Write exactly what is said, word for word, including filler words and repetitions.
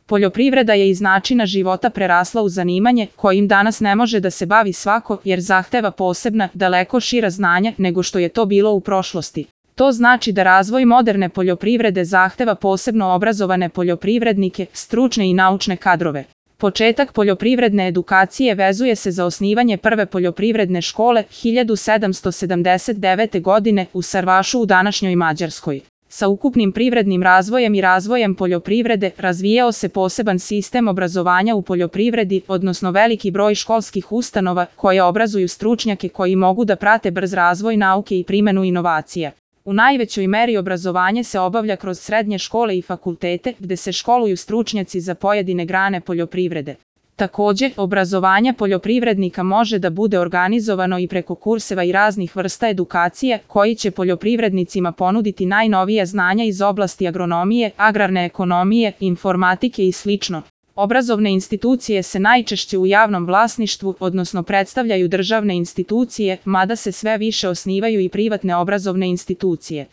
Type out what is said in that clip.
Poljoprivreda je iz načina života prerasla u zanimanje kojim danas ne može da se bavi svako jer zahteva posebna, daleko šira znanja nego što je to bilo u prošlosti. To znači da razvoj moderne poljoprivrede zahteva posebno obrazovane poljoprivrednike, stručne i naučne kadrove. Početak poljoprivredne edukacije vezuje se za osnivanje prve poljoprivredne škole hiljadu sedamsto sedamdeset devete. godine u Sarvašu u današnjoj Mađarskoj. Sa ukupnim privrednim razvojem i razvojem poljoprivrede razvijao se poseban sistem obrazovanja u poljoprivredi, odnosno veliki broj školskih ustanova koje obrazuju stručnjake koji mogu da prate brz razvoj nauke i primenu inovacija. U najvećoj meri obrazovanje se obavlja kroz srednje škole i fakultete, gde se školuju stručnjaci za pojedine grane poljoprivrede. Takođe, obrazovanje poljoprivrednika može da bude organizovano i preko kurseva i raznih vrsta edukacije, koji će poljoprivrednicima ponuditi najnovija znanja iz oblasti agronomije, agrarne ekonomije, informatike i slično. Obrazovne institucije se najčešće u javnom vlasništvu, odnosno predstavljaju državne institucije, mada se sve više osnivaju i privatne obrazovne institucije.